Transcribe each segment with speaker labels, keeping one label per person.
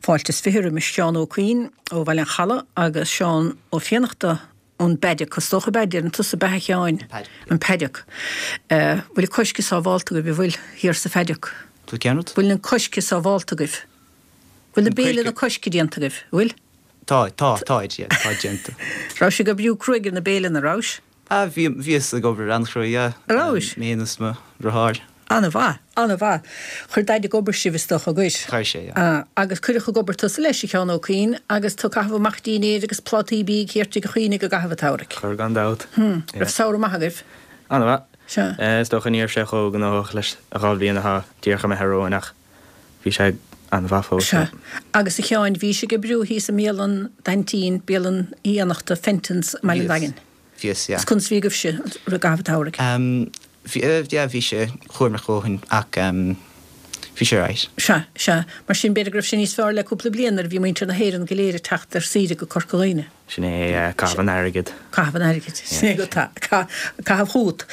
Speaker 1: Fáilte is 20 roimis Seán Ó Cuinn ó Bhaile an Chalaidh agus Seán Ó Fiannachta ón bPaddock, is dócha ab ea, deireann tusa ab ea a Sheáin? An Paddock. Bhfuil an coiscthe sábhálta agaibh, an bhfuil, thiar sa Phaddock?
Speaker 2: Bhfuil cén rud?
Speaker 1: Bhfuil an coiscthe sábhálta agaibh? Bhfuil na béile na coiscthe déanta agaibh, an bhfuil?
Speaker 2: Tá, tá, táid, yeah, tá déanta.
Speaker 1: Raibh sibh ag oibriú cruaidh ar na béile, an rabhais?
Speaker 2: Ah, bhí, bhíos ag obair an-chruaidh, yeah.
Speaker 1: An rabhais?
Speaker 2: Mé féin is mo dheartháir.
Speaker 1: An-mhaith, an-mhaith. Chuir Daid ag obair sibh, is dócha, an gcuir?
Speaker 2: Chuir sé, yeah. Ah,
Speaker 1: agus cuireadh ag obair tusa leis, a Sheáin Ó Cuinn, agus tú ag caitheamh amach dínnéir agus plátaí bídh thiar tigh an Chuimhnigh i gcaitheamh an tsamhraidh.
Speaker 3: Chuir, gan dabht.
Speaker 1: Hm, raibh samhradh maith agaibh?
Speaker 3: An-mhaith.
Speaker 1: Sea.
Speaker 3: Is dócha ní raibh sé chomh gnóthach leis an dhá bhliain atá díreach imithe romhainn ach bhí sé an-mhaith fós.
Speaker 1: Sea. Agus a Sheáin, bhís ag oibriú thíos i mbialann d'aintín, bialann Uí Fhiannachta, Fenton's, i mBaile an
Speaker 2: Bhíos.
Speaker 1: Daingin.
Speaker 2: Bhíos, yeah.
Speaker 1: Is conas a bhí agaibhse i gcaitheamh an tsamhraidh?
Speaker 2: Em, bhí, yeah, bhí sé cúramach a dhóthain ach em, bhí sé alright.
Speaker 1: Sea, sea. Mar sin, b'fhéidir go raibh sé níos fearr le cúpla bliain nuair a bhí muintir na hÉireann go léir ag teacht ar saoire go Corca Dhuibhne.
Speaker 3: Sin é, yeah, caitheamh an airgid.
Speaker 1: Caitheamh an airgid. Sin é go, tá, caitheamh chugat.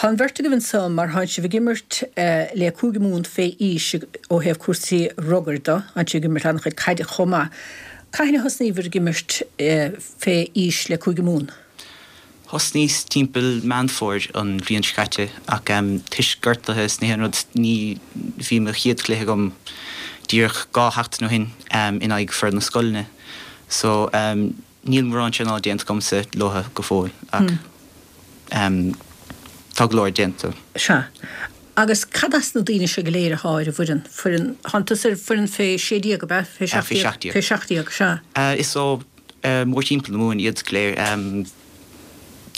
Speaker 1: Tá an bheirt agaibh anso mar tánn sibh ag imirt le Cúige Mumhan fé aois ó thaobh cúrsaí rugair de, tánn sibh ag imirt an-chuid caide chomh maith. Cathain a thosnaíobhair ag imirt fé aois le Cúige Mumhan?
Speaker 2: Thosnaíos timpeall Meán Fómhair an bhliain seo caite ach toisc gortuithe is na haon rud ní bhí mo chéad chluiche agam díreach 2 sheachtain ó shin in aghaidh foireann na scoileanna so níl mórán traenála déanta agamsa leotha go fóill ach tá go leor déanta.
Speaker 1: Sea. Agus cad as na daoine seo go léir athá ar an bhfoireann? Foireann, thánn tusa ar foireann fé 16, ab ea? Fé
Speaker 2: 17? Fé 17.
Speaker 1: Fé 17, sea.
Speaker 2: Is ó mórthimpeall na Mumhan iad go léir,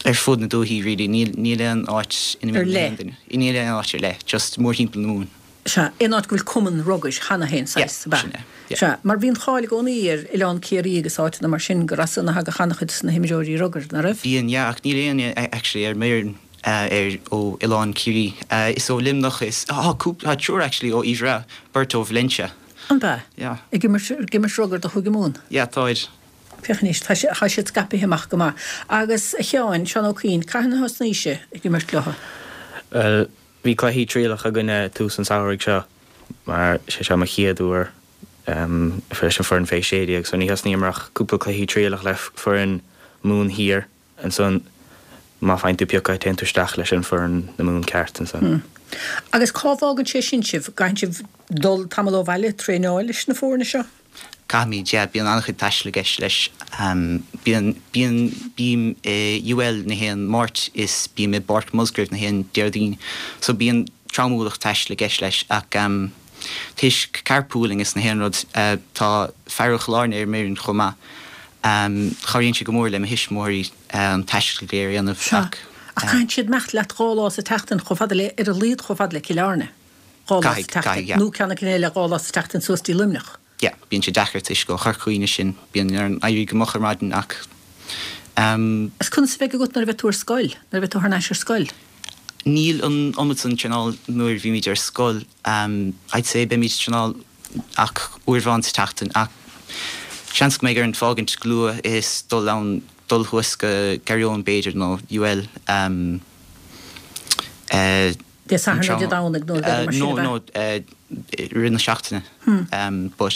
Speaker 2: ar fud na dúichí really, níl, níl aon áit ina
Speaker 1: Ar
Speaker 2: mbíonn
Speaker 1: leith.
Speaker 2: aon duine, níl aon áit ar leith, just mórthimpeall na Mumhan.
Speaker 1: Sea, aon áit go bhfuil cumann rugair cheana féin, saghas, ab
Speaker 2: Yeah,
Speaker 1: ea?
Speaker 2: sin é, yeah.
Speaker 1: Sea, mar bhí an cháil i gcónaí ar Oileán Ciarraí agus áiteanna mar sin gur as san a thagadh an-chuid de na himreoirí rugair, ná raibh?
Speaker 2: Bíonn, yeah, ach níl éinne actually ar m'fhoireann ar ó Oileán Ciarraí. Is ó Luimneach is, tá cúpla, tá triúr actually ó Uíbh Ráthaigh, beirt ó Valentia.
Speaker 1: An ea?
Speaker 2: Yeah.
Speaker 1: Ag imirt, ag imirt rugair do Chúige Mumhan?
Speaker 2: Yeah, táid.
Speaker 1: Féach anois, tá sé, tá siad scaipithe amach go maith. Agus, a Sheáin, Seán Ó Cuinn, cathain a thosnaís-se ag imirt leo?
Speaker 3: Bhuel, bhí cluichí trialach againn ag tús an samhraidh seo, mar sé seo mo chéad uair leis an foireann fé 16, so ní thosnaíomar ach cúpla cluichí trialach le foireann Mumhan Thiar. Ansan, má faigheann tú piocadh, téann tú isteach leis an foireann na Mumhan ceart ansan.
Speaker 1: Agus cá bhfágann sé sin sibh? Gcaithfidh sibh dul tamall ó bhaile, traenáil leis na foirne seo?
Speaker 2: Caithfimid, yeah. Bíonn an-chuid taistil i gceist leis. Bíonn, bíonn, bím i UL na haon Máirt is bím i bPáirc Musgrave na haon Déardaoin. So bíonn dream ualach taistil i gceist leis ach toisc carpooling is na haon rud, tá fear ó Chill Airne ar m'fhoireann chomh maith. Cabhraíonn sé go mór le mo thuismitheoirí an taisteal go léir a dhéanamh
Speaker 1: Sea,
Speaker 2: ach.
Speaker 1: ach caitheann siad imeacht leat 2 lá sa tseachtain chomh fada le, ar a laghad chomh fada le Cill Airne, 2 lá sa
Speaker 2: Caithfidh, caithfidh,
Speaker 1: tseachtain,
Speaker 2: yeah.
Speaker 1: nó ceann acu eile 2 lá sa tseachtain suas dtí Luimneach.
Speaker 2: Yeah, bíonn sé deacair toisc ó Chorca Dhuibhne sinn, bíonn orainn éirí go moch ar maidin ach ehm.
Speaker 1: Is conas a bheidh agat nuair a bheidh tú ar scoil, nuair a bheidh tú thar n-ais ar scoil?
Speaker 2: Níl an iomad san traenáil nuair a bhímid ar scoil, ehm, I'd say beimid ag traenáil ach uair amháin sa tseachtain ach seans go mbeidh orainn fágaint go luath is dul ann, dul thuas go Garryowen b'fhéidir nó UL ehm eh
Speaker 1: Dé Sathairn nó Dé Domhnaigh nó rudaí mar sin
Speaker 2: No
Speaker 1: ab ea?
Speaker 2: no eh i rith na seachtaine ehm but.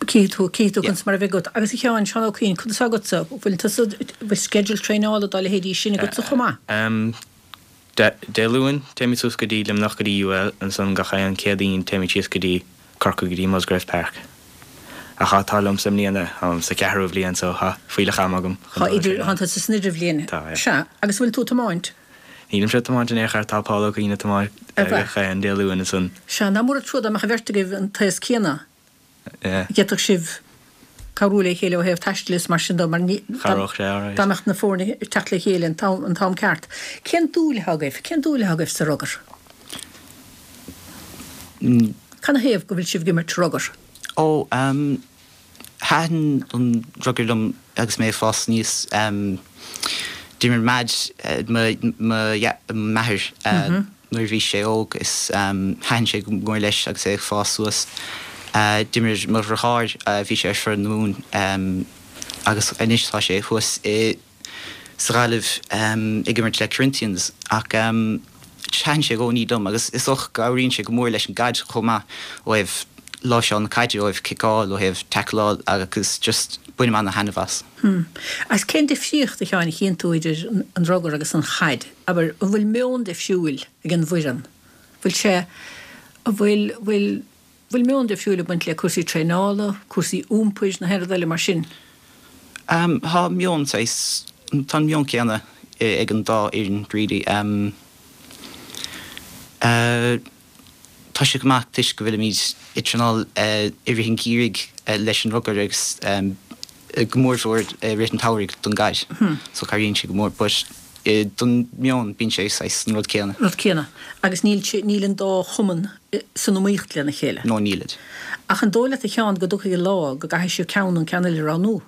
Speaker 1: Cífidh tú, cífidh tú
Speaker 2: Yeah.
Speaker 1: conas mar a bheidh agat. Agus a Sheáin, Seán Ó Cuinn, conas atá agatsa? Bhfuil tusa, bhfuil schedule traenála dá leithéidí sin agatsa chomh maith?
Speaker 3: Ehm Dé Luain, téimid suas go dtí Luimneach go dtí UL, ansan gach aon Céadaoin téimid síos go dtí Corcaigh go dtí Musgrave Park. Ach tá an t-ádh liomsa i mbliana, táim sa cheathrú bhliain so tá fuílleach ama agam chun
Speaker 1: Tá
Speaker 3: dul
Speaker 1: idir,
Speaker 3: ar
Speaker 1: tá tusa san idirbhliain.
Speaker 3: Tá, yeah.
Speaker 1: Sea, agus bhfuil tú ag tiomáint?
Speaker 3: Nílimse ag tiomáint in aon chor, tá Paul Ó Cuinn ag tiomáint
Speaker 1: Ar mhaith.
Speaker 3: gach aon Dé Luain ansan.
Speaker 1: Sea, nach mór an trua dá mbeadh an bheirt agaibh an t-aos céanna. D'fhéadfadh sibh cabhrú le chéile ó thaobh taistil is mar sin de mar ní,
Speaker 3: Chabhródh sé, alright.
Speaker 1: dá mbeadh na foirne ag teacht le chéile an t-am, an t-am ceart. Cén dúil atá agaibh? Cén dúil atá agaibh sa rugar? Canathaobh go bhfuil sibh ag imirt rugar?
Speaker 2: Ó, ehm, thaitin an rugar liom agus mé ag fás aníos. Ehm, d'imir m'dhaid, mo, mo, m'athair, eh, Nuair a bhí sé óg is thaitin sé go mór leis agus é ag fás suas. D'imir mo dheartháir, bhí sé ar foireann na Mumhan agus anois tá sé thuas i sa Ghaillimh ag imirt le Corinthians ach thaitin sé i gcónaí liom agus is dócha go gcabhraíonn sé go mór leis an gcaid chomh maith ó thaobh. láimhseáil na caide, ó thaobh ciceáil, ó thaobh tackleáil agus just bainim ana-thaitneamh as.
Speaker 1: Hmm. Agus cén difríocht, a Sheáin, a chíonn tú idir an rugar agus an chaid? Abair, an bhfuil meon difriúil ag an bhfoireann? Bhfuil sé, an bhfuil, bhfuil, bhfuil meon difriúil ag baint le cúrsaí traenála, cúrsaí iompair, nó aon rud eile mar sin?
Speaker 2: Ehm, tá meon saghas, tá an meon céanna ag an dá fhoireann really. Ehm, eh, Tá sé go maith toisc go bhfuilimid ag traenáil i rith an gheimhridh leis an rugar agus go mórmhór i rith an tsamhraidh don gcaid. So cabhraíonn sé go mór but don meon bíonn sé saghas an rud céanna.
Speaker 1: Rud céanna. Agus níl sé, níl an dá chumann san iomaíocht lena chéile.
Speaker 2: No nílid.
Speaker 1: Ach an dóigh leat a Sheáin go dtiocfaidh an lá go gcaithfidh sibh ceann nó an ceann eile a roghnú?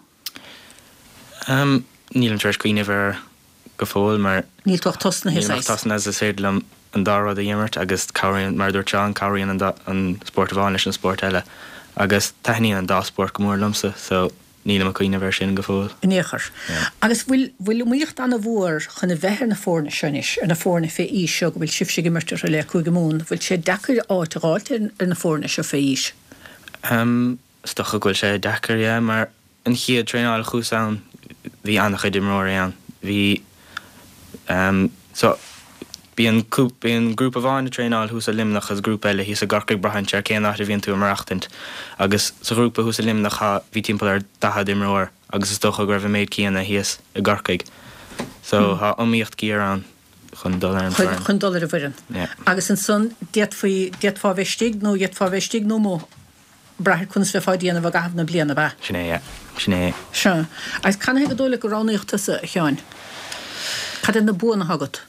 Speaker 3: Nílim tar éis cuimhneamh air go fóill mar.
Speaker 1: Níl tú ach tosnaithe,
Speaker 3: Nílim ach
Speaker 1: saghas.
Speaker 3: tosnaithe is féidir liom an dá rud a imirt agus cabhraíonn, mar a dúirt Seán, cabhraíonn an dá, an spórt amháin leis an spórt eile agus taitníonn an dá spórt go mór liomsa so nílim ag cuimhneamh air sin go fóill.
Speaker 1: In aon chor.
Speaker 3: Yeah.
Speaker 1: Agus bhfuil, bhfuil iomaíocht an-mhór chun a bheith ar na foirne seo anois, ar na foirne fé aois seo go bhfuil sibhse ag imirt orthu le Cúige Mumhan, bhfuil sé deacair áit a dh'fháilt ar, ar na foirne seo fé aois?
Speaker 3: Ehm, Is dócha go bhfuil sé deacair, yeah, mar an chéad traenáil a chuas ann bhí an-chuid imreoirí ann. Bhí, ehm, so bíonn cúp, bíonn grúpa amháin ag traenáil thuas i Luimneach agus grúpa eile thíos i gCorcaigh braitheann sé ar cén áit a bhíonn tú ag maireachtaint. Agus sa ghrúpa thuas i Luimneach thá, bhí timpeall ar 40 imreoir agus is dócha go raibh an méid céanna thíos i gCorcaigh. So thá iomaíocht ghéar ann chun dul ar an
Speaker 1: bhfoireann. Chun dul ar an bhfoireann.
Speaker 3: Yeah.
Speaker 1: Agus ansan d'fhéadfaí, d'fhéadfá a bheith istigh nó d'fhéadfá a bheith istigh nó amuigh. brath ar conas bheifeá ag déanamh i gcaitheamh na bliana, ab ea?
Speaker 3: Sin é, yeah. Sin é.
Speaker 1: Sea. Agus canathaobh gur dóigh leat gur roghnaíodh tusa, a Sheáin? Cad iad na buanna atá agat?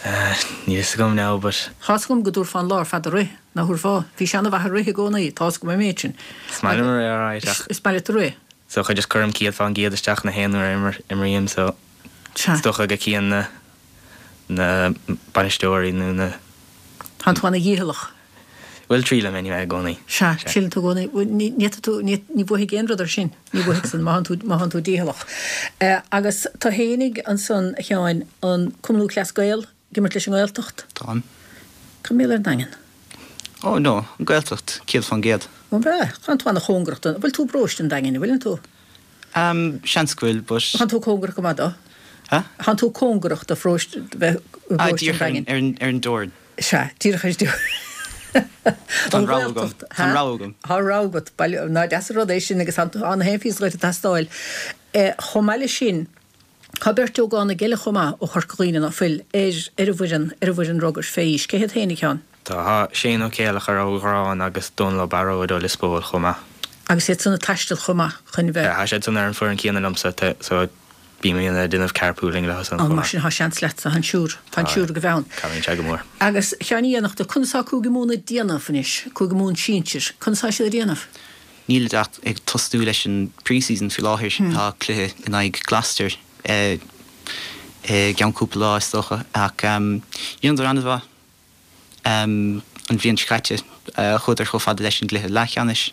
Speaker 3: Níl fhios agam now, but.
Speaker 1: Tá's agam go dtabharfá an lá ar fad ag rith, nach dtabharfá? Bhís an-mhaith ag rith i gcónaí, tá's agam an méid sin.
Speaker 3: Is maith liom rith, alright, ach.
Speaker 1: Is maith leat rith?
Speaker 3: So just cuirim 100% isteach na haon uair a imrím, so.
Speaker 1: Sea.
Speaker 3: Is dócha go gcíonn na, na bainisteoirí nó na.
Speaker 1: Tánn tú ana-dhícheallach.
Speaker 3: Bhuel, triailim anyway i gcónaí.
Speaker 1: Sea, triaileann tú i gcónaí. Bhuel, ní fhéadfaidh tú, ní, ní bhuafaidh aon rud air sin. Ní bhuafaidh san, má thánn tú, má thánn tú dícheallach. Agus tú fhéinig ansan, a Sheáin, an Cumann Lúthchleas Gael, ag imirt leis an nGaeltacht?
Speaker 2: Táim.
Speaker 1: Cad mar gheall ar an nDaingean?
Speaker 2: Oh no, an Ghaeltacht, 100%.
Speaker 1: Ó, an ea? Thánn tú ana-chóngarach don, bhfuil tú i bparóiste an Daingin, an bhfuileann tú?
Speaker 2: Ehm, seans go bhfuil, but.
Speaker 1: Thánn tú cóngarach go maith dó.
Speaker 2: Huh?
Speaker 1: Thánn tú cóngarach do pharóiste, bheith i
Speaker 2: Ah,
Speaker 1: bparóiste an
Speaker 2: díreach ar an,
Speaker 1: Daingin.
Speaker 2: ar an, ar an dteorainn.
Speaker 1: Sea, díreach ar
Speaker 2: Tá an rogha agam. Tá an rogha agam.
Speaker 1: Tá rogha agat. Bail, ná deas an rud é sin agus tá an haon phíosa dhuit ag teastáil. Chomh maith leis sin, tá beirt ógánaigh eile chomh maith ó Chorca Dhuibhne, ná fuil, ar ar an bhfoireann, ar an bhfoireann rugair fé aois. Cé hiad féin, a Sheáin?
Speaker 3: Tá Shane Ó Céileachair ó Ghráin agus Dónal Ó Barróid ó Lios Póil chomh maith.
Speaker 1: Agus iad san ag taisteal chomh maith chun bheith.
Speaker 3: Tá siad san ar an foireann céanna liomsa so bím ag déanamh carpooling leo san
Speaker 1: chomh maith. Mar sin tá seans leatsa, tá an siúr, tá an siúr go bheann.
Speaker 3: Cabhraíonn sé go mór.
Speaker 1: Agus a Sheáin Uí Fhiannachta, conas tá Cúige Mumhan ag déanamh anois, Cúige Mumhan sinsir, conas tá siad ag déanamh?
Speaker 2: Nílid ach ag tosnú leis an pre-season faoi láthair. Tá cluiche in aghaidh Gloucester i gceann cúpla lá is dócha ach dheineadar an-mhaith. An bhliain seo caite, chuadar chomh fada leis an gcluiche leathcheannais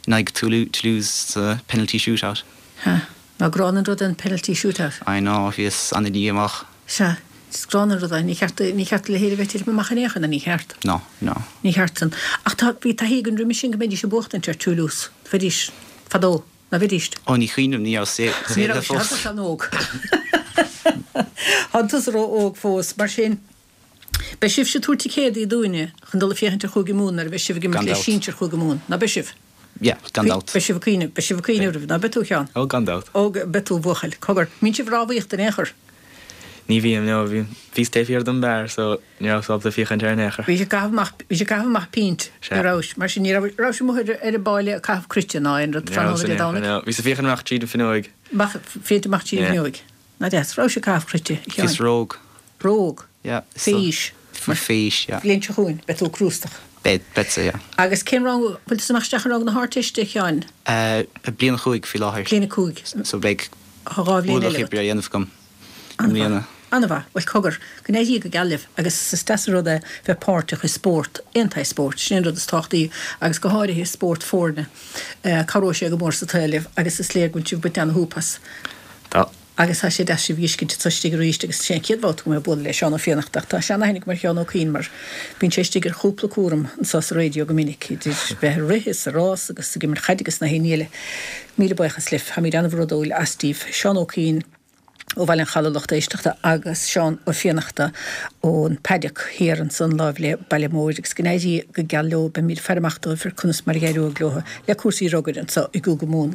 Speaker 2: in aghaidh Toulouse sa penalty shootout.
Speaker 1: Sea. Ná gránna an rud é an penalty shootout.
Speaker 2: I know, bhíos an-dhíomách.
Speaker 1: Sea. Is gránna an rud é. Ní cheart, ní cheart a leithéid a bheith ag titim amach in aon chor, ní cheart.
Speaker 2: No, no.
Speaker 1: Ní cheart san. Ach tá, bhí taithí againn roimhe sin go mbeidís ag buachtaint ar Toulouse. Bheidís. Fadó. Ná bheidís?
Speaker 2: Ó, ní chuimhním, ní raibh
Speaker 1: Ní raibh sé, tá tusa an-óg. Tá tusa ró-óg fós. Mar sin. Beidh sibhse ag tabhairt ticéadaí dúinne chun dul ag féachaint ar Chúige Mumhan nuair a bheidh sibh ag imirt
Speaker 2: Gan
Speaker 1: le
Speaker 2: dabht.
Speaker 1: sinsir Chúige Mumhan, ná beidh sibh?
Speaker 2: Yeah, gan dabht.
Speaker 1: Beidh sibh ag cuimhneamh, beidh sibh ag cuimhneamh roimhe, ná beidh tú, a Sheáin?
Speaker 3: Oh, gan dabht.
Speaker 1: Ó, beidh tú, a bhuachaill. Cogar, mbíonn sibh ag rámhaíocht in aon chor?
Speaker 3: Ní bhím, no, bhí, bhíos taobh thiar den beár so ní rabhas ábalta féachaint air in aon chor.
Speaker 1: Bhí sibh ag caitheamh amach, bhí sibh ag caitheamh amach pínt,
Speaker 3: Sea.
Speaker 1: ní rabhais, mar sin ní raibh, raibh sibh amuigh ar, ar an bpáile ag caitheamh cruite ná aon rud
Speaker 3: Ní rabhas
Speaker 1: tráthnóna
Speaker 3: in
Speaker 1: Dé
Speaker 3: aon chor,
Speaker 1: Domhnaigh?
Speaker 3: no. Bhíos ag féachaint amach tríd an bhfuinneoig.
Speaker 1: Amach, féachaint amach tríd an
Speaker 3: Yeah.
Speaker 1: bhfuinneoig. Ná deas, raibh sibh ag caitheamh cruite, a Sheáin?
Speaker 2: Bhíos ró-óg.
Speaker 1: Ró-óg.
Speaker 2: Yeah.
Speaker 1: Fé aois.
Speaker 2: Fé aois, yeah.
Speaker 1: Bhliain seo chugainn, beidh tú crústach.
Speaker 2: Beidh, beidh-sa, yeah.
Speaker 1: Agus cén rang, bhfuil tusa ag imeacht isteach i rang na hArdteiste, a Sheáin?
Speaker 2: Eh, bliain a chúig faoi láthair.
Speaker 1: Bliain a cúig.
Speaker 2: So beidh
Speaker 1: Tá 2 bhliain
Speaker 2: ualach
Speaker 1: eile agat.
Speaker 2: oibre á dhéanamh agam i mbliana.
Speaker 1: An-mhaith. Bhuel, cogar, go n-éirí go geal libh agus is deas an rud é bheith páirteach i spórt, aon tsaghas spóirt, sin é an rud is tábhachtaí agus go háirithe spórt foirne. Cabhróidh sé go mór sa tsaol libh agus is léir go bhfuil sibh ag baint ana-shúp as.
Speaker 3: Tá.
Speaker 1: Agus tá sé deas sibh a fheiscint anso istigh arís agus is é an chéad bhabhta go mbeidh mé ag bualadh le Seán Ó Fiannachta ach tá seanaithne agam ar Sheán Ó Cuinn mar bíonn sé istigh ar chúpla cúram anso sa raidió go minic, idir bheith ag rith is ag rás agus ag imirt chaide agus na haon ní eile. Míle buíochas libh, táimid an-bhródúil astaibh. Seán Ó Cuinn ó Bhaile an Chalaidh, lucht éisteachta, agus Seán Ó Fiannachta ón Paddock thiar ansan láimh le Baile Móir agus go n-éirí go geal leo, beimid ag faire amach dóibh ar conas mar a dh'éireoidh leo le cúrsaí rugair anso i gCúige Mumhan.